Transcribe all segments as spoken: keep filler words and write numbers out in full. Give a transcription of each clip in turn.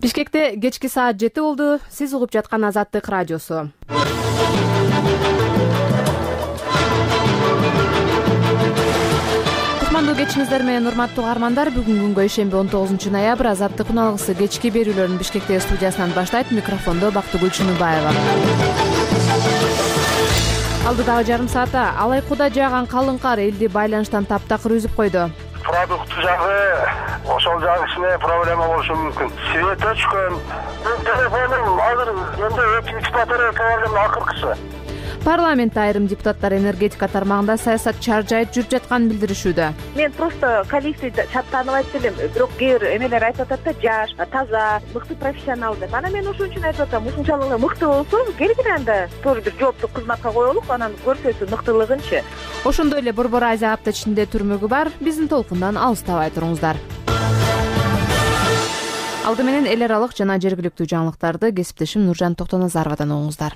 Бишкекте кечки саат жети болду. Сиз угуп жаткан Азаттык радиосу. Кутмандуу кечиңиздер менен урматтуу угармандар, бүгүнкү күнгө ишемби он тогузунчу ноябрь Азаттык уналгысы кечки берүүлөрүн Бишкектеги студиясынан баштайт. Микрофондо Бактыгүл Чыныбаева. Алдыдагы жарым саатта Алайкуда жааган калың кар элди байланыштан таптакыр үзүп койду. Продукт жагы ошол жагы ичине проблема болушу мүмкүн. Свет өчкөн. Телефонум азыр эми өтүп батарея проблема акыркысы. Парламентте айрым депутаттар энергетика тармагында саясатчылар жайып жүрүп жатканын билдиришүүдө. Мен просто коллектив тааныбайт элем, бирок кээ бир эмелер айтып атат да, жаш, таза, мыкты профессионал деп. Анан мен ошон үчүн айтып атам, ушунчалык эле мыкты болсо, келгиле анда тоже бир жооптук кызматка коелук, анан көрсөтсүн мыктылыгынчы. Ошондой эле Борбор Азия апта ичинде түрмөгү бар. Биздин толкундан алыстабай туруңуздар. Алды менен эл аралык жана жергиликтүү жаңылыктарды кесиптешим Нуржан Токтоназаровадан угуңуздар.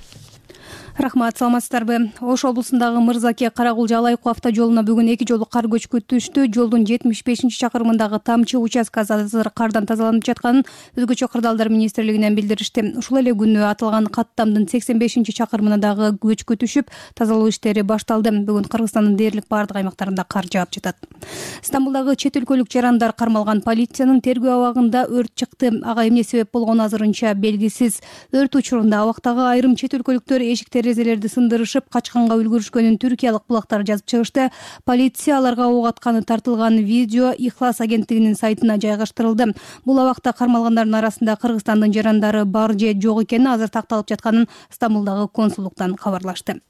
Рахмат, саламатсыздарбы? Ош облусундагы Мырзаке Карагулжа Алайку автожолуна бүгүн эки жолу кар көчкү түштү. Жолдун жетимиш бешинчи чакырымындагы тамчы участкасы азыр кардан тазаланып жатканын Өзгөчө кырдаалдар министрлигинен билдиришти. Ушул эле күнү аталган каттамдын сексен бешинчи чакырымына дагы көчкү түшүп, тазалоо иштери башталды. Бүгүн Кыргызстандын дээрлик бардык аймактарында кар жаап жатат. Стамбулдагы чет өлкөлүк жарандар кармалган полициянын тергөө абагында өрт чыкты. Ага эмне себеп болгону азырынча белгисиз. Өрт учурунда абактагы айрым чет өлкөлүктөр эшиктер терезелерди сындырышып качканга үлгүрүшкөнүн түркиялык булактар жазып чыгышты. Полиция аларга ок атканы тартылган видео Ихлас агенттигинин сайтына жайгаштырылды. Бул абакта кармалгандардын арасында Кыргызстандын жарандары бар же жок экени азыр такталып жатканын Стамбулдагы консулдуктан кабарлашты.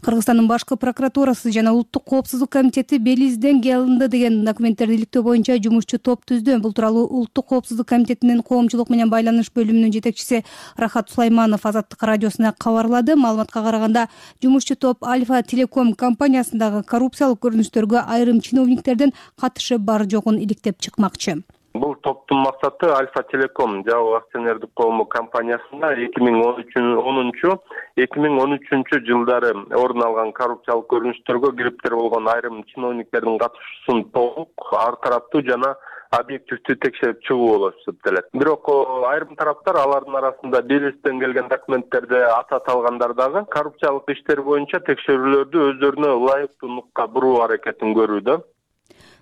Кыргызстандын башкы прокуратурасы жана Улуттук коопсуздук комитети Белизденге алынды деген документтерди иликтөө боюнча жумушчу топ түздү. Бул тууралуу Улуттук коопсуздук комитетинин коомчулук менен байланыш бөлүмүнүн жетекчиси Рахат Сулайманов Азаттык радиосуна кабарлады. Маалыматка караганда, жумушчу топ Альфа Телеком компаниясындагы коррупциялык көрүнүштөргө айрым чиновниктердин катышы бар жогун иликтеп чыкмакчы. Бул топтун максаты Альфа Телеком жабык акционердик коому компаниясында эки миң онунчу эки миң он үчүнчү жылдары орун алган коррупциялык көрүнүштөргө кириптер болгон айрым чиновниктердин катышуусун толук, ар тараптуу жана объективдүү текшерип чыгуу болуп эсептелет. Бирок айрым тараптар алардын арасында Белистен келген документтерде аты аталгандар дагы коррупциялык иштер боюнча текшерүүлөрдү өздөрүнө ылайыктуу нукка буруу аракетин көрүүдө.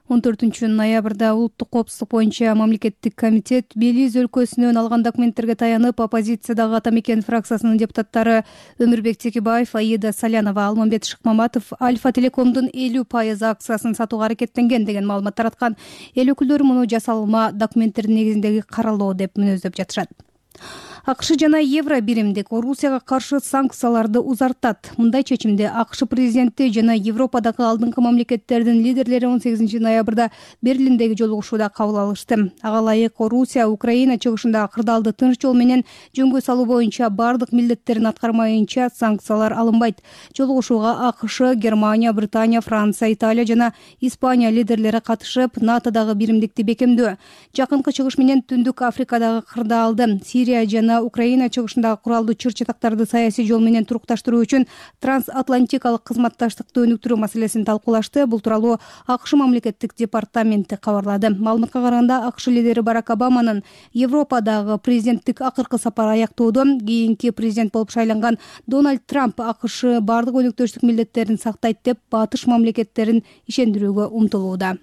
он төртүнчү ноябрда Улуттук коопсуздук боюнча мамлекеттик комитет Белиз өлкөсүнөн алган документтерге таянып, оппозициядагы Ата Мекен фракциясынын депутаттары Өмүрбек Текебаев, Аида Салянова, Алмамбет Шыкмаматов Альфа Телекомдун элүү пайыз акциясын сатууга аракеттенген деген маалымат тараткан. Эл өкүлдөрү муну жасалма документтердин негизиндеги каралоо деп мүнөздөп жатышат. АКШ жана Евро биримдик Орусияга каршы санкцияларды узартат. Мындай чечимди АКШ президенти жана Европадагы алдыңкы мамлекеттердин лидерлери он сегизинчи ноябрда Берлиндеги жолугушууда кабыл алышты. Ага ылайык Орусия Украина чыгышындагы кырдаалды тынч жол менен жөнгө салуу боюнча бардык милдеттерин аткармайынча санкциялар алынбайт. Жолугушууга АКШ, Германия, Британия, Франция, Италия жана Испания лидерлери катышып, НАТОдагы биримдикти бекемдөө, жакынкы чыгыш менен Түндүк Африкадагы кырдаалды, Сирия жана Украина чыгышындагы куралдуу чыр-чатактарды саясий жол менен турукташтыруу үчүн трансатлантикалык кызматташтыкты өнүктүрүү маселесин талкуулашты. Бул тууралуу АКШ мамлекеттик департаменти кабарлады. Маалыматка караганда, АКШ лидери Барак Обаманын Европадагы президенттик акыркы сапары аяктоодон кийинки президент болуп шайланган Дональд Трамп АКШ бардык өнөктөштүк милдеттерин сактайт деп батыш мамлекеттерин ишендирүүгө умтулууда.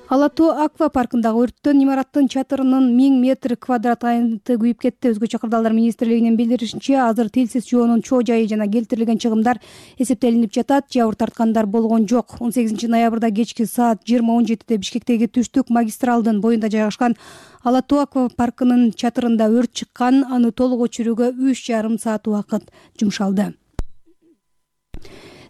Ала Тоо аквапаркындагы өрттөн имараттын чатырынын миң метр квадрат айнты күйүп кетти. Өзгөчө кырдаалдар министрлигинин билдиришинче, азыр тилсиз жоонун чоо жайы жана келтирилген чыгымдар эсептелинип жатат. Жабыр тарткандар болгон жок. он сегизинчи ноябрда кечки саат жыйырма он жетиде Бишкектеги түштүк магистралдын боюнда жайгашкан Ала Тоо аквапаркынын чатырында өрт чыккан. Аны толук өчүрүүгө үч жарым саат убакыт жумшалды.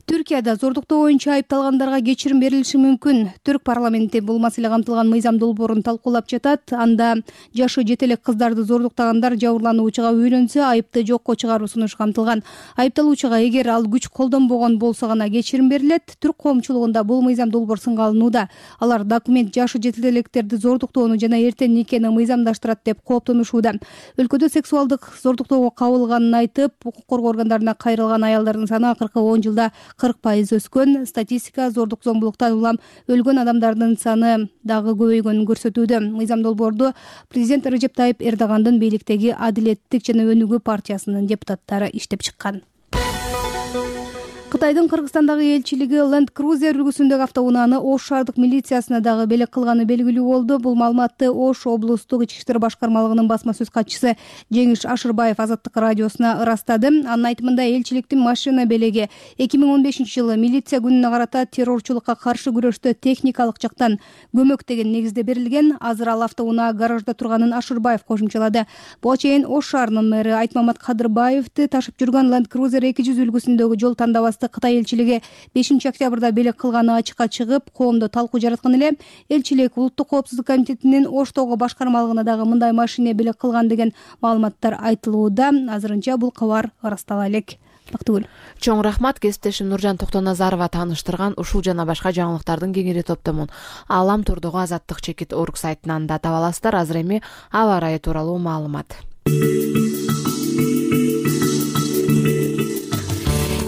Түркияда зордуктоо боюнча айыпталгандарга кечирим берилиши мүмкүн. Түрк парламенти бул маселе камтылган мыйзам долбоорун талкуулап жатат. Анда жашы жете элек кыздарды зордуктагандар жабырлануучуга үйлөнсө, айыпты жокко чыгаруу сунушу камтылган. Айыпталуучуга эгер ал күч колдонбогон болсо гана кечирим берилет. Түрк коомчулугунда бул мыйзам долбоор сынга алынууда. Алар документ жашы жете электерди зордуктоону жана эртен никени мыйзамдаштырат деп кооптонушууда. Өлкөдө сексуалдык зордуктоого кабылганын айтып, укук коргоо органдарына кайрылган аялдардын саны акыркы он жылда кырк пайыз өскөн. Статистика зордук зомбулуктан улам өлгөн адамдардын саны дагы көбөйгөнүн көрсөтүүдө. Мыйзам долбоорду президент Режеп Тайип Эрдогандын бийликтеги Адилеттик жана Өнүгүү партиясынын депутаттары иштеп чыккан. Кытайдын Кыргызстандагы элчилиги Land Cruiser үлгүсүндөгү автоунааны Ош шаардык милициясына дагы белек кылганы белгилүү болду. Бул маалыматты Ош облустук ички иштер башкармалыгынын басма сөз катчысы Жеңиш Ашырбаев Азаттык радиосуна ырастады. Анын айтымында элчиликтин машина белеги эки миң он бешинчи жылы милиция күнүнө карата террорчулукка каршы күрөштө техникалык жактан көмөк деген негизде берилген. Азыр ал автоунаа гаражда турганын Ашырбаев кошумчалады. Буга чейин Ош шаарынын мэри Айтмамат Кадырбаевди ташып жүргөн Land Cruiser эки жүз үлгүсүндөгү жол тандабасы Кытай элчилиги бешинчи октябрда белек кылганы ачыкка чыгып, коомдо талкуу жараткан эле. Элчилик Улуттук коопсуздук комитетинин Оштогу башкармалыгына дагы мындай машина белек кылган деген маалыматтар айтылууда. Азырынча бул кабар ырастала элек. Бактыгүл. Чоң рахмат. Кесиптешим Нуржан Токтоназарова тааныштырган ушул жана башка жаңылыктардын кеңири топтомун Алам турдугу азаттык чекит орг сайтынан да таба аласыздар. Азыр эми аба ырайы тууралуу маалымат.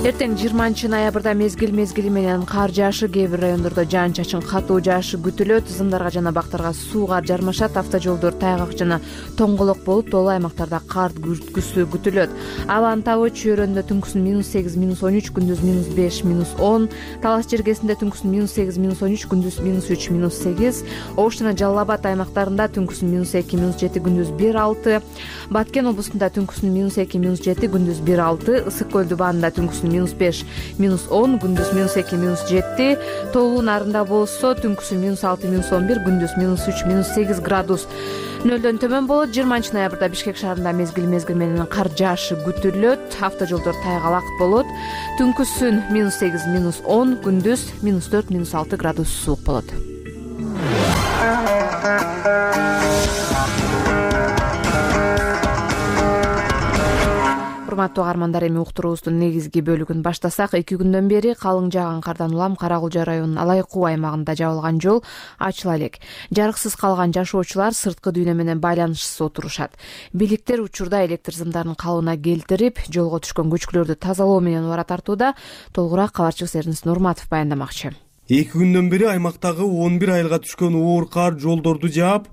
Эртең жыйырманчы ноябрда мезгил мезгили менен кар жаашы, кээ бир райондордо жаан-чачын катуу жаашы күтүлөт. Зымдарга жана бактарга сууга жармашат. Автожолдор тайгак жана тоңголок болуп, тоолуу аймактарда кар күзгүсү күтүлөт. Абанын табы чөйрөндө түнкүсүн минус сегиз, минус он үч, күндүз минус беш, минус он. Талас жергесинде түнкүсүн минус сегиз, минус он үч, күндүз минус үч, минус сегиз. Ош жана Жалал Абад аймактарында түнкүсүн минус эки, минус жети, күндүз бир, алты. Баткен облусунда түнкүсүн минус эки, минус жети, күндүз бир, алты. Ысык көлдү баанында түнкүсүн минус беш, минус он, күндүз минус эки, минус жети. Тоолуу нарында болсо түнкүсү минус алты, минус он бир, күндүз минус үч, минус сегиз градус. Нөлдөн төмөн болот. жыйырманчы ноябрда Бишкек шаарында мезгил мезгил менен кар жаашы күтүлөт. Автожолдор тайгалак болот. Түнкүсүн минус сегиз, минус он, күндүз минус төрт, минус алты градус суук болот. Урматтуу каармандар, эми уктуруубуздун негизги бөлүгүн баштасак, эки күндөн бери калың жааган кардан улам Карагулжа районунун Алайкуу аймагында жабылган жол ачыла элек. Жарыксыз калган жашоочулар сырткы дүйнө менен байланышсыз отурушат. Бийликтер учурда электр сымдарын калыбына келтирип, жолго түшкөн көчкүлөрдү тазалоо менен убара тартууда. Толугураак кабарчыбыз Эрнис Нурматов баяндамакчы. эки күндөн бери аймактагы он бир айылга түшкөн оор кар жолдорду жаап,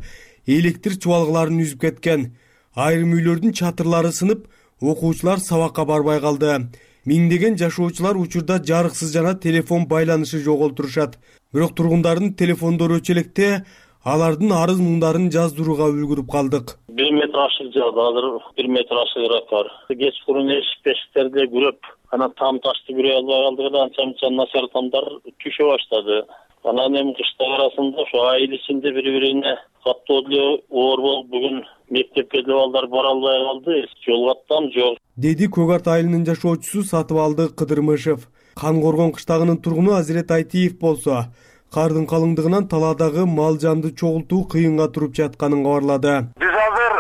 электр чубалгыларын үзүп кеткен. Айрым үйлөрдүн чатырлары сынып, окуучулар сабакка барбай калды. Миңдеген жашоочулар учурда жарыксыз жана телефон байланышы жоголтурушат. Бирок тургундардын телефондору өчөлекте, алардын арыз муңдарын жаздырууга үлгүрүп калдык. бир метр ашык жаады, азыр бир метр ашыгыраак бар. Кечкурун эшик бешиктерди күрөп, анан там ташты күрөй албай калдык эле, анча-мынча начар тамдар түшө баштады. Анан эми кыштык арасында ошо айыл ичинде бири-бирине каттуу эле оор болуп, бүгүн мектепке деле балдар бара албай калды. Жол каттам жок, деди Көк Арт айылынын жашоочусу Сатыбалды Кыдырмышев. Кан Коргон кыштагынын тургуну Азирет Айтиев болсо, кардын калыңдыгынан талаадагы мал жанды чогултуу кыйынга туруп жатканын кабарлады. Биз азыр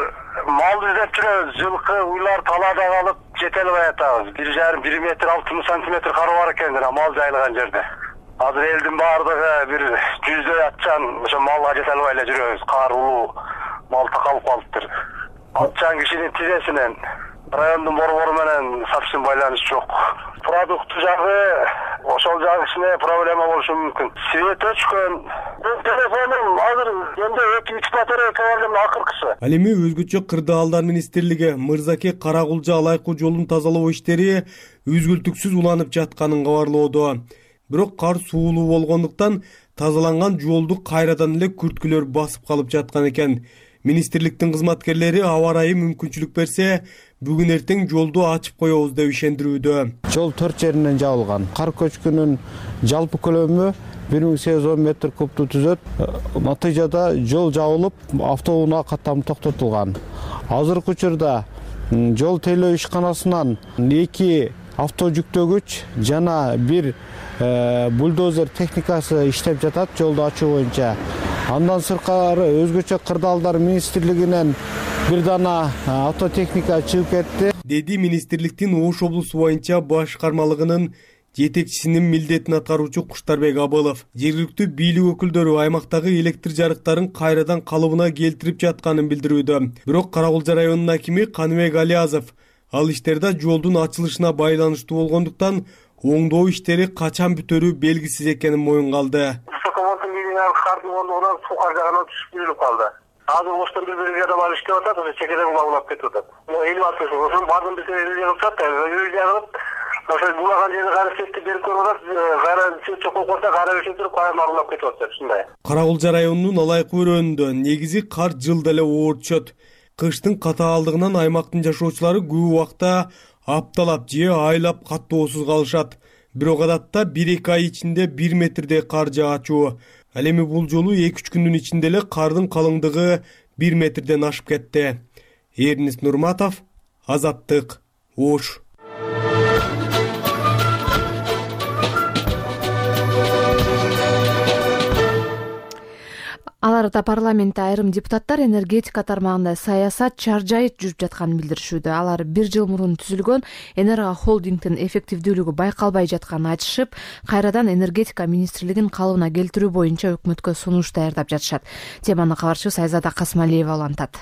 мал издеп жүрөбүз. Жылкы уйлар талаада калып жете албай атабыз. бир жарым бир метр алтымыш сантиметр кары бар экен мал жайылган жерде. Азыр элдин баардыгы бир жүздөй атчан ошо малга жете албай эле жүрөбүз. Кар улуу, мал такалып калыптыр. Атчан кишинин тизесинен райондун борбору менен совсем байланыш жок. Продукт жагы ошол жагы кичине проблема болушу мүмкүн. Свет өчкөн. Телефонум азыр эми эки үч батарейка бар эле акыркысы. Ал эми өзгөчө Кырдаалдар министрлиги Мырзаке Карагулжа Алайкуу жолун тазалоо иштери үзгүлтүксүз уланып жатканын кабарлоодо. Бирок кар суулуу болгондуктан тазаланган жолду кайрадан эле күрткүлөр басып калып жаткан экен. Министрликтин кызматкерлери аба ырайы мүмкүнчүлүк берсе, бүгүн эртең жолду ачып коебуз деп ишендирүүдө. Жол төрт жеринен жабылган. Кар көчкүнүн жалпы көлөмү бир миң сегиз жүз он метр кубту түзөт. Натыйжада жол жабылып, автоунаа каттамы токтотулган. Азыркы учурда жол тейлөө ишканасынан эки авто жүктөгүч жана бир бульдозер техникасы иштеп жатат жолду ачуу боюнча. Андан сырткары өзгөчө Кырдаалдар министрлигинен бир дана автотехника чыгып кетти, деди министрликтин Ош облусу боюнча башкармалыгынын жетекчисинин милдетин аткаруучу Куштарбек Абылов. Жергиликтүү бийлик өкүлдөрү аймактагы электр жарыктарын кайрадан калыбына келтирип жатканын билдирүүдө. Бирок Карагулжа районунун акими Каныбек Алиязов ал иштерде жолдун ачылышына байланыштуу болгондуктан оңдоо иштери качан бүтөрү белгисиз экенин моюнга алды. Высоковольтный линиянын кардын ондугунан суу кар жагынан түшүп күйүлүп калды. Азыр оштон бир бир адам алып иштеп атат, ошо чекеден улап кетип атат. Элүү алты жыл, ошонун баардыгын биз элүү атат, элүү жагып, ошо булаган жерди кара сетти берип көрүп атат, кара сет чокол койсо кара өшүп туруп кайра улап кетип атат, ушундай. Кара-Кулча районунун Алайкы өрөөнүндө негизи кар жылда эле оор түшөт. Кыштын катаалдыгынан аймактын жашоочулары көп убакта апталап же айлап каттоосуз калышат. Бирок адатта бир-эки ай ичинде бир метрдей кар жаагачу. Ал эми бул жолу эки-үч күндүн ичинде эле кардын калыңдыгы бир метрден ашып кетти. Эрнис Нурматов, Азаттык, Ош. Аларда парламентте айрым депутаттар энергетика тармагында саясат чаржайыт жүрүп жатканын билдиришүүдө. Алар бир жыл мурун түзүлгөн Энерго холдингдин эффективдүүлүгү байкалбай жатканын айтышып, кайрадан энергетика министрлигин калыбына келтирүү боюнча өкмөткө сунуш даярдап жатышат. Теманы кабарчыбыз Айзада Касмалиева улантат.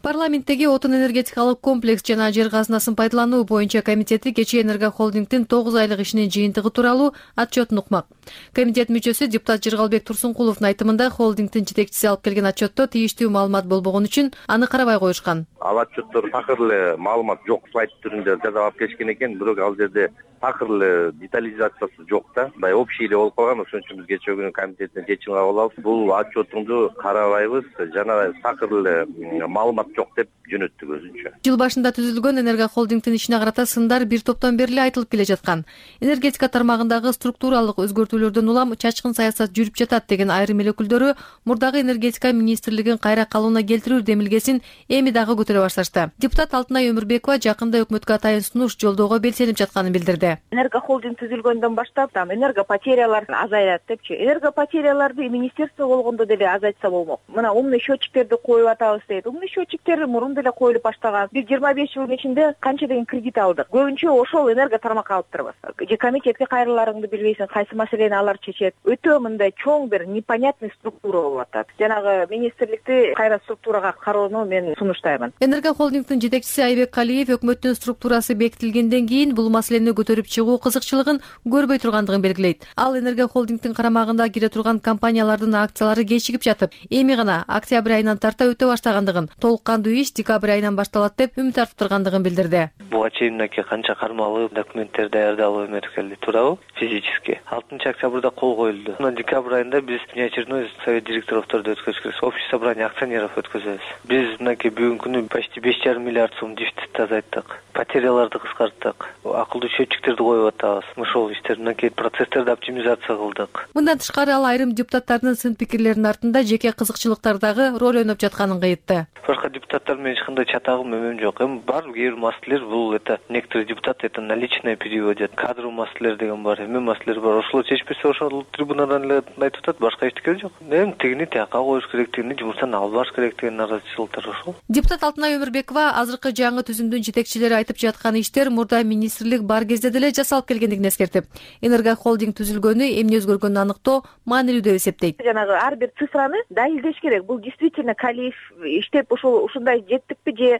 Парламенттеги отун энергетикалык комплекс жана жер казынасын пайдалануу боюнча комитети кечээ Энерго холдингдин тогуз айлык ишинин жыйынтыгы тууралуу отчетун укмак. Комитет мүчөсү депутат Жыргалбек Турсункуловдун айтымында холдингдин жетекчиси алып келген отчетто тийиштүү маалымат болбогон үчүн аны карабай коюшкан. Ал отчеттор такыр эле маалымат жок слайд түрүндө жасап алып келишкен экен, бирок ал жерде такыр эле детализациясы жок да. Мындай общий эле болуп калган, ошон үчүн биз кечээ күнү комитеттен чечим кабыл алып, бул отчетуңду карабайбыз, жана такыр эле маалымат жок деп жөнөттүк өзүнчө. Жыл башында түзүлгөн Энерго холдингдин ишине карата сындар бир топтон бери эле айтылып келе жаткан. Энергетика тармагындагы структуралык өзгөртүүлөрдөн улам чачкын саясат жүрүп жатат деген айрым эл өкүлдөрү мурдагы энергетика министрлигин кайра калыбына келтирүү демилгесин эми дагы көтөрө башташты. Депутат Алтынай Өмүрбекова жакында өкмөткө атайын сунуш жолдоого белсенип жатканын билдирди. Энерго холдинг түзүлгөндөн баштап там энерго потерялар азаят депчи. Энерго потеряларды министерство болгондо деле азайтса болмок. Мына умный счетчиктерди коюп атабыз дейт. Умный счетчиктер мурун деле коюлуп баштаган. Биз жыйырма беш жылдын ичинде канча деген кредит алдык. Көбүнчө ошол энерго тармакка алыптырбыз. Же комитетке кайрыларыңды билбейсиң, кайсы маселени алар чечет. Өтө мындай чоң бир непонятный структура болуп атат. Жанагы министрликти кайра структурага кароону мен сунуштаймын. Энерго холдингдин жетекчиси Айбек Калиев өкмөттүн структурасы бекитилгенден кийин бул маселени көтөрүп чыгуу кызыкчылыгын көрбөй тургандыгын белгилейт. Ал Энерго холдингдин карамагында кире турган компаниялардын акциялары кечигип жатып, эми гана октябрь айынан тарта өтө баштагандыгын, толук кандуу иш декабрь айынан башталат деп үмүт артып тургандыгын билдирди. Буга чейин мынакей канча кармалып документтер даярдалып эметкенди туурабы? Физически. алтынчы октябрда кол коюлду. Мына декабрь айында биз внеочередной совет директоровторду өткөзөбүз, общее собрание акционеров өткөзөбүз. Биз мынакей бүгүнкү күнү почти беш жарым миллиард сом дефицитти азайттык. Потеряларды кыскарттык. Акылдуу счетчиктерди коюп атабыз. Ошол иштер мынакей процесстерди оптимизация кылдык. Мындан тышкары ал айрым депутаттардын сын пикирлеринин артында жеке кызыкчылыктардагы роль ойноп жатканын кыйтты. Башка депутаттар менен эч кандай чатагым эмем жок. Эми бар кээ бир маселелер бул это некоторые депутаты это наличное переводят. Кадровый маселелер деген бар, эме маселелер бар. Ошол чечпесе ошол трибунадан эле айтып атат, башка эчтеке жок. Эми тигини тияка коюш керек, тигини жумуштан албаш керек деген наразычылыктар ошол. Депутат Алтынай Өмүрбекова азыркы жаңы түзүмдүн жетекчилери айтып жаткан иштер мурда министрлик бар кезде деле жасалып келгендигин эскертип, Энерго холдинг түзүлгөнү эмне өзгөргөнүн аныктоо маанилүү деп эсептейт. Жанагы ар бир цифраны далилдеш керек. Бул действительно Калиев иштеп ошол ушундай жеттикпи же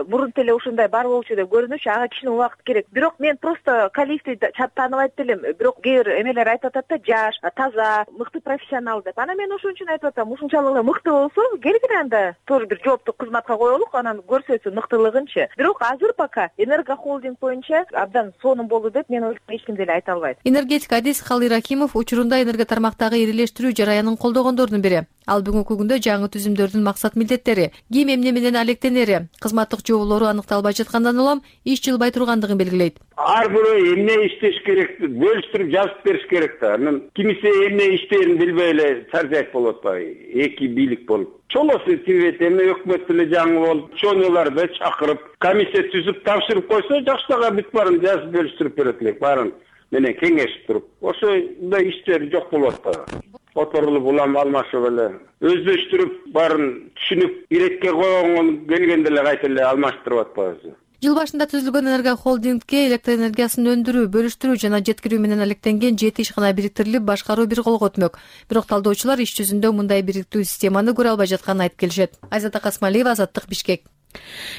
мурун эле ушундай бар болчу деп көрүнүчү, ага кичине убакыт керек. Бирок мен просто Калиевди тааныбайт элем. Бирок кээ бир эмелер айтып атат да, жаш, таза, мыкты профессионал деп. Ана мен ошон үчүн айтып атам, ушунчалык эле мыкты болсо, келгиле анда тоже бир жооптуу кызматка коелук, анан көрсөтсүн мыктылыгынчы. Бирок азыр пока Энерго холдинг боюнча абдан сонун болду деп мен ойлойм, эч ким деле айта албайт. Энергетик адис Калый Рахимов учурунда энерго тармактагы ирилештирүү жараянын колдогондордун бири. Ал бүгүнкү күндө жаңы түзүмдөрдүн максат милдеттери, ким эмне менен алектенери, кызматтык жоболору аныкталбай жаткандан улам иш жылбай тургандыгын белгилейт. Ар бирөө эмне иштеш керек, бөлүштүрүп жазып бериш керек да. Анан кимисе эмне иштээрин билбей эле саржайып болот атпайбы? Эки бийлик болуп. Чолосу тибет эми өкмөт эле жаңы болуп, чоңолорду чакырып, комиссия түзүп тапшырып койсо, жаштарга бүт баарын жазып бөлүштүрүп берет элек, баарын менен кеңешип туруп. Ошондой иштер жок болуп атпайбы? Оторулуп улам алмашып эле өздөштүрүп, баарын түшүнүп, иретке койгон келгенде эле кайта эле алмаштырып атпайбызбы? Жыл башында түзүлгөн Энерго холдингке электр энергиясын өндүрүү, бөлүштүрүү жана жеткирүү менен алектенген жети ишкана бириктирилип башкаруу бир колго өтмөк. Бирок талдоочулар иш жүзүндө мындай бириктүү системаны көрө албай жатканын айтып келишет. Айзада Касмалиева, Азаттык, Бишкек.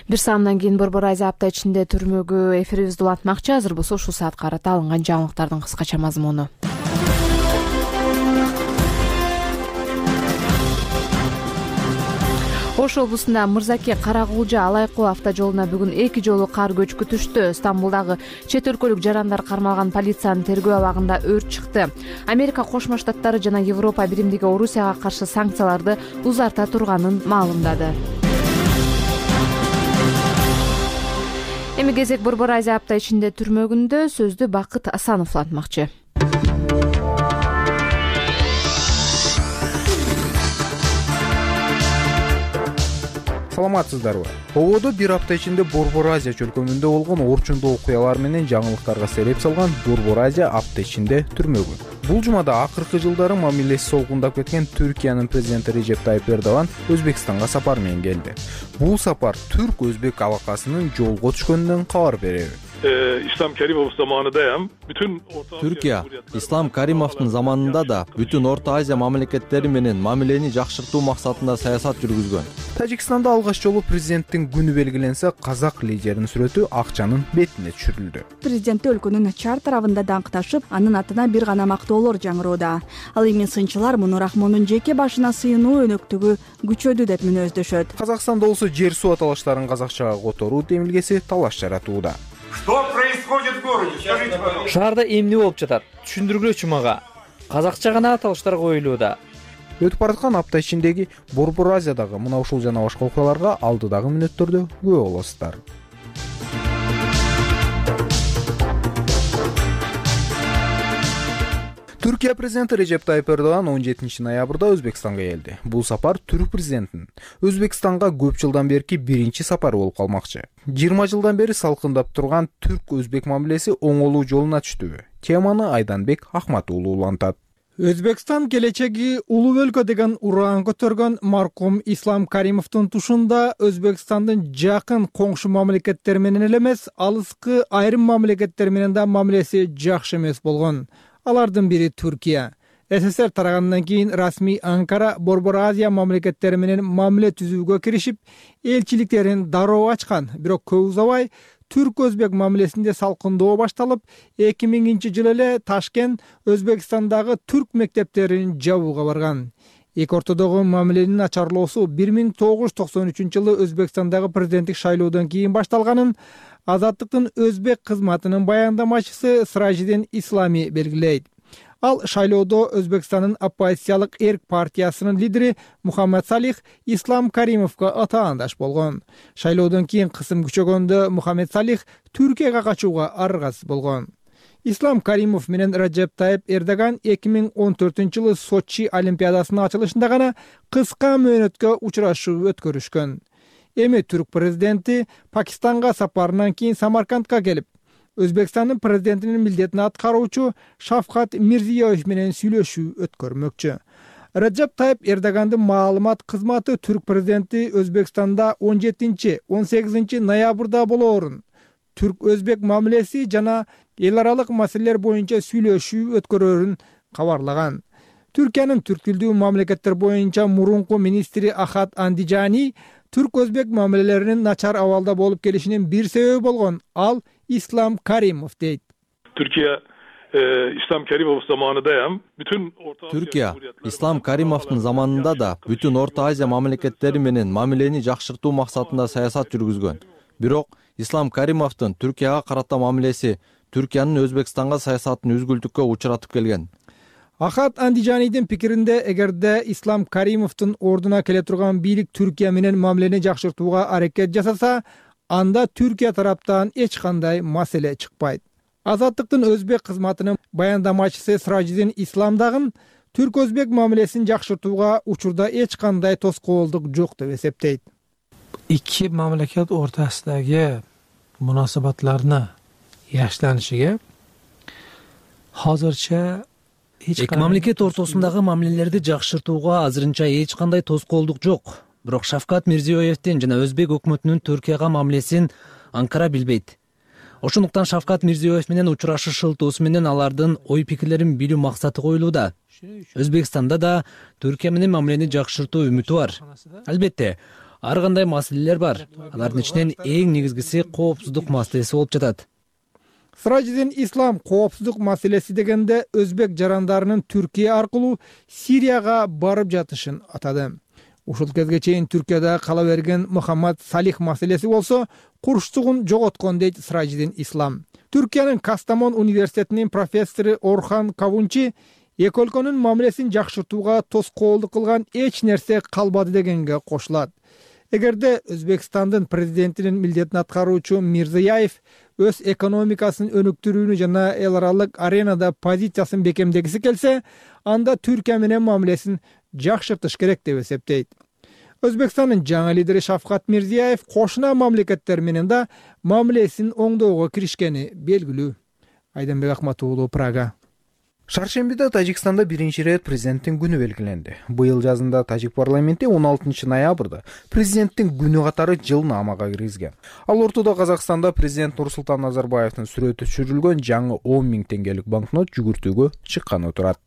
Бир саамдан кийин Борбор Азия апта ичинде түрмөгү эфирибизди улантмакчы. Азыр болсо ушул саатка карата алынган жаңылыктардын кыскача мазмуну. Ош облусунда Мырзаке Каракулжа Алайкоо автожолуна бүгүн эки жолу кар көчкү түштү. Стамбулдагы чет өлкөлүк жарандар кармалган полициянын тергөө абагында өрт чыкты. Америка Кошмо Штаттары жана Европа Биримдиги Орусияга каршы санкцияларды узарта турганын маалымдады. Эми кезек Борбор Азия апта ичинде түрмөгүндө сөздү Бакыт Асанов улантмакчы. Саламатсыздарбы? Ободо бир апта ичинде Борбор Азия чөлкөмүндө болгон орчундуу окуялар менен жаңылыктарга сереп салган Борбор Азия апта ичинде түрмөгүн. Бул жумада акыркы жылдары мамилеси солгундап кеткен Түркиянын президенти Режеп Тайып Эрдоган Өзбекстанга сапар менен келди. Бул сапар түрк-өзбек алакасынын жолго түшкөнүнөн кабар береби. İslam Karimov zamanındayım. Bütün Türkiye, İslam Karimov'un zamanında da bütün Orta Asya mamleketleri menен мамилени жакшыртуу максатында саясат жүргүзгөн. Тажикстанда алгач жолу президенттин күнү белгиленсе, казак лидеринин сүрөтү акчанын бетине түшүрүлдү. Президент өлкөнүн чар тарабында даңкташып, анын атына бир гана мактоолор жаңыроодо. Ал эми сынчылар муну Рахмондун жеке башына сыйынуу өнөктүгү күчөдү деп мүнөздөшөт. Казакстанда болсо жер суу аталыштарын казакчага которуу демилгеси талаш жаратууда. Что происходит в городе? Скажите, пожалуйста. Шаарда эмне болуп жатат? Түшүндүргүлөчү мага. Казакча гана аталыштар коюлууда. Өтүп бараткан апта ичиндеги Борбор Азиядагы мына ушул жана башка окуяларга алдыдагы мүнөттөрдө күбө болосуздар. Түркия президенти Режеп Тайып Эрдоган он жетинчи ноябрда Өзбекстанга келди. Бул сапар түрк президентинин Өзбекстанга көп жылдан берки биринчи сапары болуп калмакчы. жыйырма жылдан бери салкындап турган түрк-өзбек мамилеси оңолуу жолуна түштүбү? Теманы Айданбек Ахмат уулу улантат. Өзбекстан келечеги улуу өлкө деген ураан көтөргөн маркум Ислам Каримовдун тушунда Өзбекстандын жакын коңшу мамлекеттери менен эле эмес, алыскы айрым мамлекеттер менен да мамилеси жакшы эмес болгон. Алардын бири Түркия. СССР тарагандан кийин расмий Анкара Борбор Азия мамлекеттери менен мамиле түзүүгө киришип, элчиликтерин дароо ачкан. Бирок көп узабай түрк-өзбек мамилесинде салкындоо башталып, эки миңинчи жылы эле Ташкент Өзбекстандагы түрк мектептерин жабууга барган. Эки ортодогу мамиленин начарлоосу бир миң тогуз жүз токсон үчүнчү жылы Өзбекстандагы президенттик шайлоодон кийин башталганын Азаттыктын өзбек кызматынын баяндамачысы Сражидин Ислами белгилейт. Ал шайлоодо Өзбекстандын оппозициялык эрк партиясынын лидери Мухаммед Салих Ислам Каримовго атаандаш болгон. Шайлоодон кийин кысым күчөгөндө Мухаммед Салих Түркияга качууга аргасыз болгон. Ислам Каримов менен Режеп Тайып Эрдоган эки миң он төртүнчү жылы Сочи олимпиадасынын ачылышында гана кыска мөөнөткө учурашуу өткөрүшкөн. Эми түрк президенти Пакистанга сапарынан кийин Самаркандка келип, Өзбекстандын президентинин милдетин аткаруучу Шавкат Мирзиёев менен сүйлөшүү өткөрмөкчү. Режеп Тайып Эрдогандын маалымат кызматы түрк президенти Өзбекстанда он жетинчи он сегизинчи ноябрда болоорун, түрк-өзбек мамилеси жана эл аралык маселелер боюнча сүйлөшүү өткөрөөрүн кабарлаган. Түркиянын түрк тилдүү мамлекеттер боюнча мурунку министри Ахат Андижани түрк-өзбек мамилелеринин начар абалда болуп келишинин бир себеби болгон ал Ислам Каримов дейт. Türkiye İslam Karimov zamanındayım. Bütün Orta Türkiye, İslam Karimov'un zamanında da bütün Orta Asya mamleketleri menен мамилени жакшыртуу максатында саясат жүргүзгөн. Бирок Ислам Каримовдун Түркияга карата мамилеси Түркиянын Өзбекстанга саясатын үзгүлтүккө учуратып келген. Ахат Андижанидин пикиринде, эгерде Ислам Каримовдун ордуна келе турган бийлик Түркия менен мамилени жакшыртууга аракет жасаса, анда Түркия тараптан эч кандай маселе чыкпайт. Азаттыктын өзбек кызматынын баяндамачысы Сражидин Ислам дагы түрк-өзбек мамилесин жакшыртууга учурда эч кандай тоскоолдук жок деп эсептейт. Iki mamlakat o'rtasidagi munosabatlarni yaxshilanishiga hozircha эки мамлекет ортосундагы мамилелерди жакшыртууга азырынча эч кандай тоскоолдук жок. Бирок Шавкат Мирзиёевдин жана өзбек өкмөтүнүн Түркияга мамилесин Анкара билбейт. Ошондуктан Шавкат Мирзиёев менен учурашуу шылтоосу менен алардын ой пикирлерин билүү максаты коюлууда. Өзбекстанда да Түркия менен мамилени жакшыртуу үмүтү бар. Албетте, ар кандай маселелер бар. Алардын ичинен эң негизгиси коопсуздук маселеси болуп жатат. Сыражидин Ислам коопсуздук маселеси дегенде өзбек жарандарынын Түркия аркылуу Сирияга барып жатышын атады. Ушул кезге чейин Түркияда кала берген Мухаммад Салих маселеси болсо курчтугун жоготкон дейт Сыражидин Ислам. Түркиянын Кастамон университетинин профессору Орхан Кавунчи эки өлкөнүн мамилесин жакшыртууга тоскоолдук кылган эч нерсе калбады дегенге кошулат. Эгерде Өзбекстандын президентинин милдетин аткаруучу Мирзияев өз экономикасын өнүктүрүүнү жана эл аралык аренада позициясын бекемдегиси келсе, анда Түркия менен мамилесин жакшыртыш керек деп эсептейт. Өзбекстандын жаңы лидери Шавкат Мирзияев кошуна мамлекеттер менен да мамилесин оңдоого киришкени белгилүү. Айданбек Акмат уулу, Прага. Шаршембиде Тажикстанда биринчи ирет президенттин күнү белгиленди. Быйыл жазында Тажик парламенти он алтынчы ноябрда президенттин күнү катары жылнаамага киргизген. Ал ортодо Казакстанда президент Нурсултан Назарбаевдин сүрөтү түшүрүлгөн жаңы он миң теңгелик банкнот жүгүртүүгө чыкканы турат.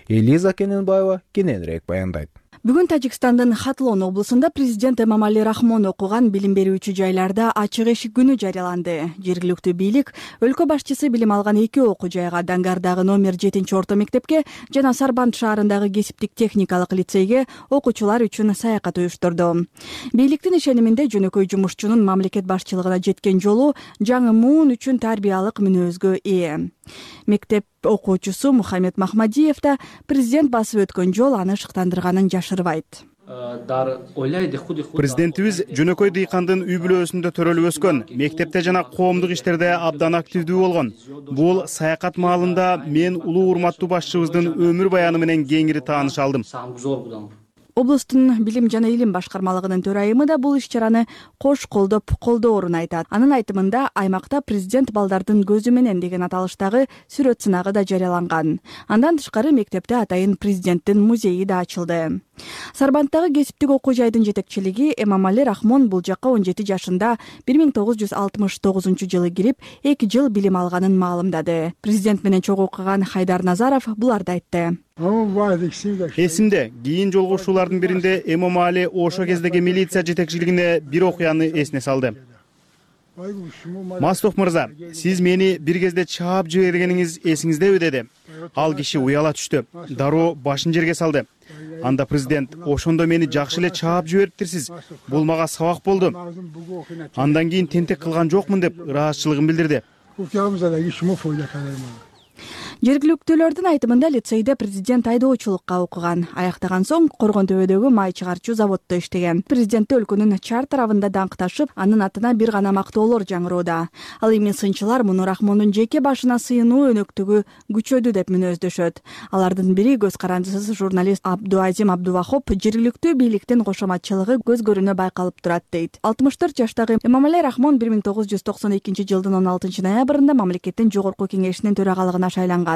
Элиза Кененбаева кененирээк баяндайт. Бүгүн Тажикстандын Хатлон облусунда президент Эмомали Рахмон окуган билим берүүчү жайларда ачык эшик күнү жарыяланды. Жергиликтүү бийлик өлкө башчысы билим алган эки окуу жайга, Дангардагы номер жетинчи орто мектепке жана Сарбанд шаарындагы кесиптик техникалык лицейге окуучулар үчүн саякат уюштурду. Бийликтин ишениминде жөнөкөй жумушчунун мамлекет башчылыгына жеткен жолу жаңы муун үчүн тарбиялык мүнөзгө ээ. Мектеп окуучусу Мухаммед Махмадиев да президент басып өткөн жол аны шыктандырганын жашырбайт. Президентибиз жөнөкөй дыйкандын үй бүлөсүндө төрөлүп өскөн, мектепте жана коомдук иштерде абдан активдүү болгон. Бул саякат маалында мен улуу урматтуу башчыбыздын өмүр баяны менен кеңири тааныша алдым. Облустун билим жана илим башкармалыгынын төрайымы да бул иш-чараны кош колдоп колдоорун айтат. Анын айтымында аймакта президент балдардын көзү менен деген аталыштагы сүрөт сынагы да жарыяланган. Андан тышкары мектепте атайын президенттин музейи да ачылды. Сарбандтагы кесиптик окуу жайдын жетекчилиги Эмомали Рахмон бул жакка он жети жашында бир миң тогуз жүз алтымыш тогузунчу жылы кирип, эки жыл билим алганын маалымдады. Президент менен чогуу окуган Хайдар Назаров буларды айтты. Эсимде, кийин жолугушуулардын биринде Эмомали ошо кездеги милиция жетекчилигине бир окуяны эсине салды. Мастух мырза, сиз мени бир кезде чаап жибергениңиз эсиңиздеби деди. Ал киши уяла түштү, дароо башын жерге салды. Анда президент, ошондо мени жакшы эле чаап жибериптирсиз. Бул мага сабак болду. Андан кийин тентек кылган жокмун деп ыраазычылыгын билдирди. Жергиликтүүлөрдүн айтымында лицейде президент айдоочулукка окуган. Аяктаган соң Коргон төбөдөгү май чыгарчу заводдо иштеген. Президентти өлкөнүн чар тарабында даңкташып, анын атына бир гана мактоолор жаңыроодо. Ал эми сынчылар муну Рахмондун жеке башына сыйынуу өнөктүгү күчөдү деп мүнөздөшөт. Алардын бири көз карандысыз журналист Абдуазим Абдувахоп жергиликтүү бийликтин кошоматчылыгы көз көрүнө байкалып турат дейт. алтымыш төрт жаштагы Эмомали Рахмон бир миң тогуз жүз токсон экинчи жылдын он алтынчы ноябрында мамлекеттин жогорку кеңешинин төрагалыгына шайланган.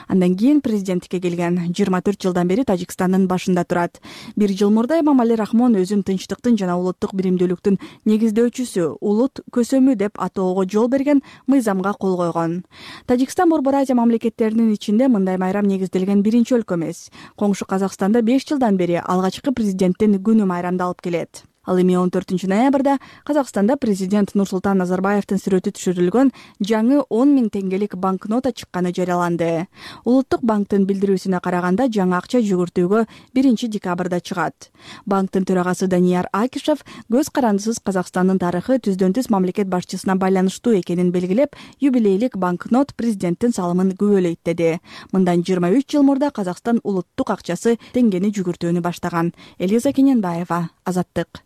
Андан кийин президенттикке келген. жыйырма төрт жылдан бери Тажикстандын башында турат. Бир жыл мурда Эмомали Рахмон өзүн тынчтыктын жана улуттук биримдүүлүктүн негиздөөчүсү, улут көсөмү деп атоого жол берген мыйзамга кол койгон. Тажикстан Борбор Азия мамлекеттеринин ичинде мындай майрам негизделген биринчи өлкө эмес. Коңшу Казакстанда беш жылдан бери алгачкы президенттин күнү майрамдалып келет. Ал эми он төртүнчү ноябрда Казакстанда президент Нурсултан Назарбаевдин сүрөтү түшүрүлгөн жаңы он миң теңгелик банкнота чыкканы жарыяланды. Улуттук банктын билдирүүсүнө караганда жаңы акча жүгүртүүгө биринчи декабрда чыгат. Банктын төрагасы Данияр Акишев көз карандысыз Казакстандын тарыхы түздөн түз мамлекет башчысына байланыштуу экенин белгилеп, юбилейлик банкнот президенттин салымын күбөлөйт деди. Мындан жыйырма үч жыл мурда Казакстан улуттук акчасы теңгени жүгүртүүнү баштаган. Элиза Кененбаева, Азаттык.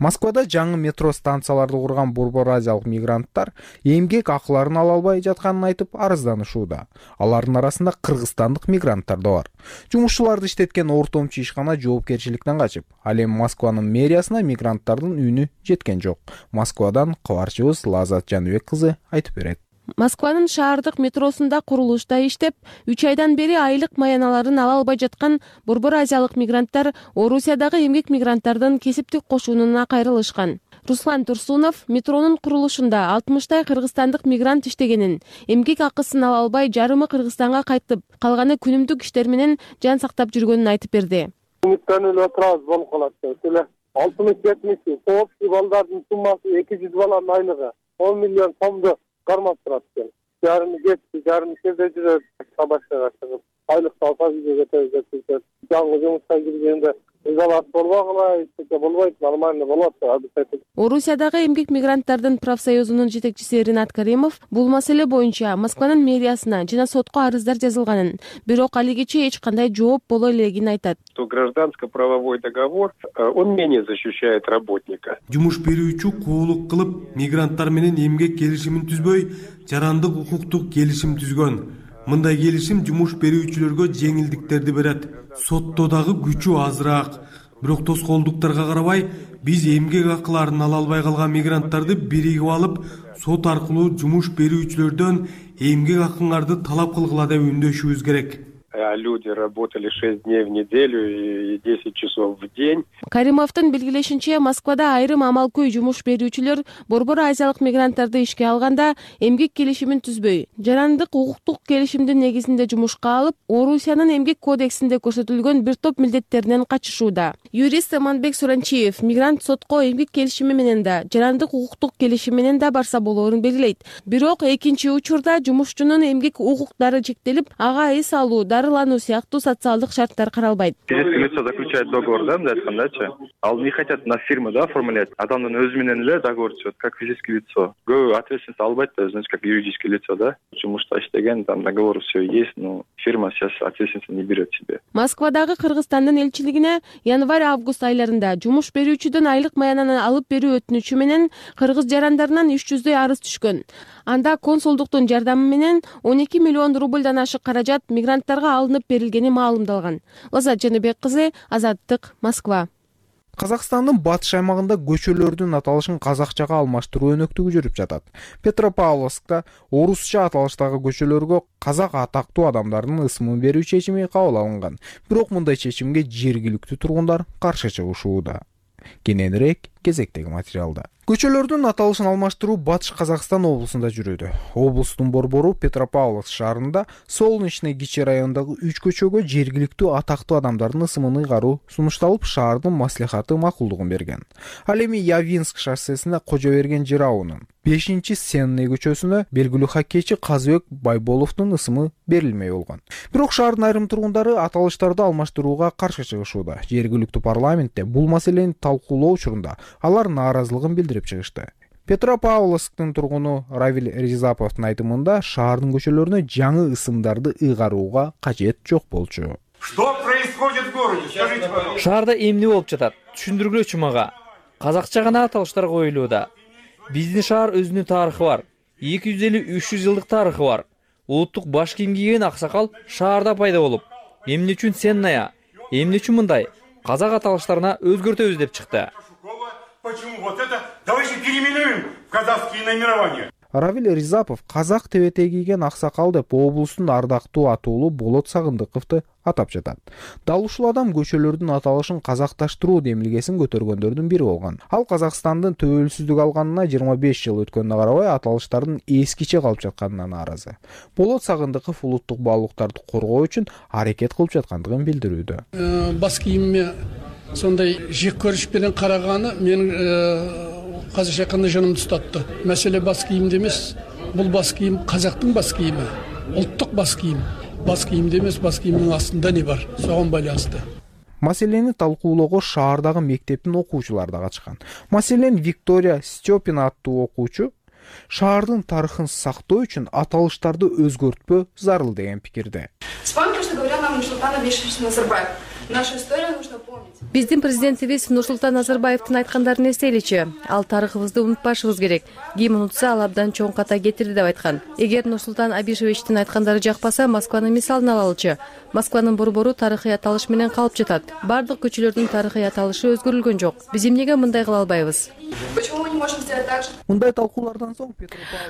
Москвада жаңы метро станцияларды курган борбор азиялык мигранттар эмгек акыларын ала албай жатканын айтып арызданышууда. Алардын арасында кыргызстандык мигранттар да бар. Жумушчуларды иштеткен ортомчу ишкана жоопкерчиликтен качып, ал эми Москванын мэриясына мигранттардын үнү жеткен жок. Москвадан кабарчыбыз Лазат Жаныбек кызы айтып берет. Москванын шаардык метросунда курулушта иштеп, үч айдан бери айлык маяналарын ала албай жаткан борбор азиялык мигранттар Орусиядагы эмгек мигранттардын кесиптик кошунуна кайрылышкан. Руслан Турсунов метронун курулушунда алтымыштай кыргызстандык мигрант иштегенин, эмгек акысын ала албай жарымы Кыргызстанга кайтып, калганы күнүмдүк иштер менен жан сактап жүргөнүн айтып берди. Үмүттөнүп отурабыз болуп калат деп эле. алтымыш жетимиш соопсий балдардын суммасы эки жүз баланын айлыгы он миллион сомду кармап турат экен. Жарымы кетти, жарымы жерде жүрөт, башкага чыгып айлыкты алса үйгө кетебиз деп жүрөт. Жаңы жумушка киргенде изолат болбогула, эч нерсе болбойт, нормально болот деп. Орусиядагы эмгек мигранттардын профсоюзунун жетекчиси Ринат Каримов бул маселе боюнча Москванын мэриясына жана сотко арыздар жазылганын, бирок алигече эч кандай жооп боло элегин айтат. То гражданско-правовой договор, он менее защищает работника. Жумуш берүүчү коолук кылып, мигранттар менен эмгек келишимин түзбөй, жарандык укуктук келишим түзгөн. Мындай келишим жумуш берүүчүлөргө жеңилдиктерди берет. Сотто дагы күчү азыраак. Бирок тоскоолдуктарга карабай, биз эмгек акыларын ала албай калган мигранттарды биригип алып, сот аркылуу жумуш берүүчүлөрдөн эмгек акыңарды талап кылгыла деп үндөшүбүз керек. Люди работали шесть дней в неделю и десять часов в день. Каримовдун белгилешинче, Москвада айрым амалкөй жумуш берүүчүлөр Борбор Азиялык мигранттарды ишке алганда эмгек келишимин түзбөй, жарандык укуктук келишимдин негизинде жумушка алып, Орусиянын эмгек кодексинде көрсөтүлгөн бир топ милдеттеринен качышууда. Юрист Аманбек Суранчиев мигрант сотко эмгек келишими менен да, жарандык укуктук келишим менен да барса болоорун белгилейт. Бирок экинчи учурда жумушчунун эмгек укуктары чектелип, ага эс алуу, дарылануу сыяктуу социалдык шарттар каралбайт. Физическое лицо заключает договор, да, мындай айткандачы. Ал не хотят на фирму, да, оформлять. Адамдын өзү менен эле договор түзөт, как физическое лицо. Көбү ответственность албайт да, значит, как юридическое лицо, да. Жумушта иштеген, там договор все есть, но фирма сейчас ответственность не берет себе. Москвадагы Кыргызстандын элчилигине январь-август айларында жумуш берүүчүдөн айлык маянаны алып берүү өтүнүчү менен кыргыз жарандарынан үч жүздөй арыз түшкөн. Анда консулдуктун жардамы менен он эки миллион рубльдан ашык каражат мигранттарга алынып берилгени маалымдалган. Лазат Жаныбек кызы, Азаттык, Москва. Казакстандын батыш аймагында көчөлөрдүн аталышын казакчага алмаштыруу өнөктүгү жүрүп жатат. Петропавловскта орусча аталыштагы көчөлөргө казак атактуу адамдардын ысымын берүү чечими кабыл алынган. Бирок мындай чечимге жергиликтүү тургундар каршы чыгышууда. Кененирээк кезектеги материалда. Көчөлөрдүн аталышын алмаштыруу Батыш Казакстан облусунда жүрүүдө. Облустун борбору Петропавловск шаарында Солнечный кичи районундагы үч көчөгө жергиликтүү атактуу адамдардын ысымын ыйгаруу сунушталып, шаардын маслихаты макулдугун берген. Ал эми Явинск шоссесине Кожоберген жыраунун бешинчи Сенный көчөсүнө белгилүү хоккейчи Казыбек Байболовдун ысымы берилмей болгон. Бирок шаардын айрым тургундары аталыштарды алмаштырууга каршы чыгышууда. Жергиликтүү парламентте бул маселени талкуулоо учурунда алар нааразылыгын билдирип чыгышты. Петропавловсктун тургуну Равиль Ризаповдун айтымында шаардын көчөлөрүнө жаңы ысымдарды ыйгарууга кажет жок болчу. Что происходит в городе? Скажите, пожалуйста. Шаарда эмне болуп жатат? Түшүндүргүлөчү мага. Казакча гана аталыштар коюлууда. Биздин шаар өзүнүн тарыхы бар. эки жүз элүү үч жүз жылдык тарыхы бар. Улуттук баш кийим кийген аксакал шаарда пайда болуп, эмне үчүн Сенная, эмне үчүн мындай казак аталыштарына өзгөртөбүз деп чыкты. Почему вот это? Давайте переименуем в казахские наименования. Равиль Ризапов казак тебете кийген аксакал деп облустун ардактуу атуулу Болот Сагындыковду атап жатат. Дал ушул адам көчөлөрдүн аталышын казакташтыруу демилгесин көтөргөндөрдүн бири болгон. Ал Казакстандын төбөлсүздүк алганына жыйырма беш жыл өткөнүнө карабай аталыштардын эскиче калып жатканына нааразы. Болот Сагындыков улуттук баалуулуктарды коргоо үчүн аракет кылып жаткандыгын билдирүүдө. Бас кийимиме сондай жек көрүш менен караганы менин казакча айтканда жанымды тутатты. Маселе бас кийимде эмес, бул бас кийим казактын бас кийими, улуттук бас кийим. Бас кийимде эмес, бас кийимдин астында не бар? Согон байланыштуу. Маселени талкуулоого шаардагы мектептин окуучулары да катышкан. Маселен Виктория Степина аттуу окуучу шаардын тарыхын сактоо үчүн аталыштарды өзгөртпөө зарыл деген пикирде. Вспомните, что говорил нам Нурсултан Абишевич Назарбаев. Наша история нужно помнить. Биздин президентибиз Нурсултан Назарбаевдин айткандарын эстейличи. Ал тарыхыбызды унутпашыбыз керек. Ким унутса, ал абдан чоң ката кетирди деп айткан. Эгер Нурсултан Абишевичтин айткандары жакпаса, Москванын мисалын алалычы. Москванын борбору тарыхый аталыш менен калып жатат. Бардык көчөлөрдүн тарыхый аталышы өзгөрүлгөн жок. Биз эмнеге мындай кыла албайбыз? Почему мы не можем сделать так же? Мындай талкуулардан соң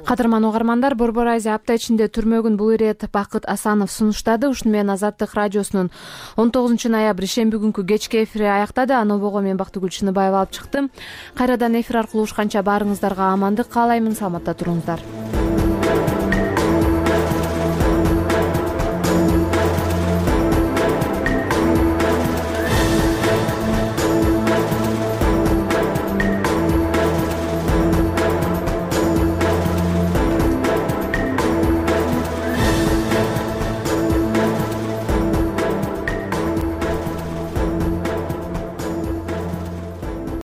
Кадырман угармандар, Борбор Азия апта ичинде түрмөгүн бул ирет Бакыт Асанов сунуштады. Ушуну менен Азаттык радиосунун он тогузунчу ноябрь шемби күнкү кечки эфири аяктады. Аны обого мен Бактыгүл Чыныбаева алып чыктым. Кайрадан эфир аркылуу ушканча баарыңыздарга амандык каалаймын. Саламатта туруңуздар.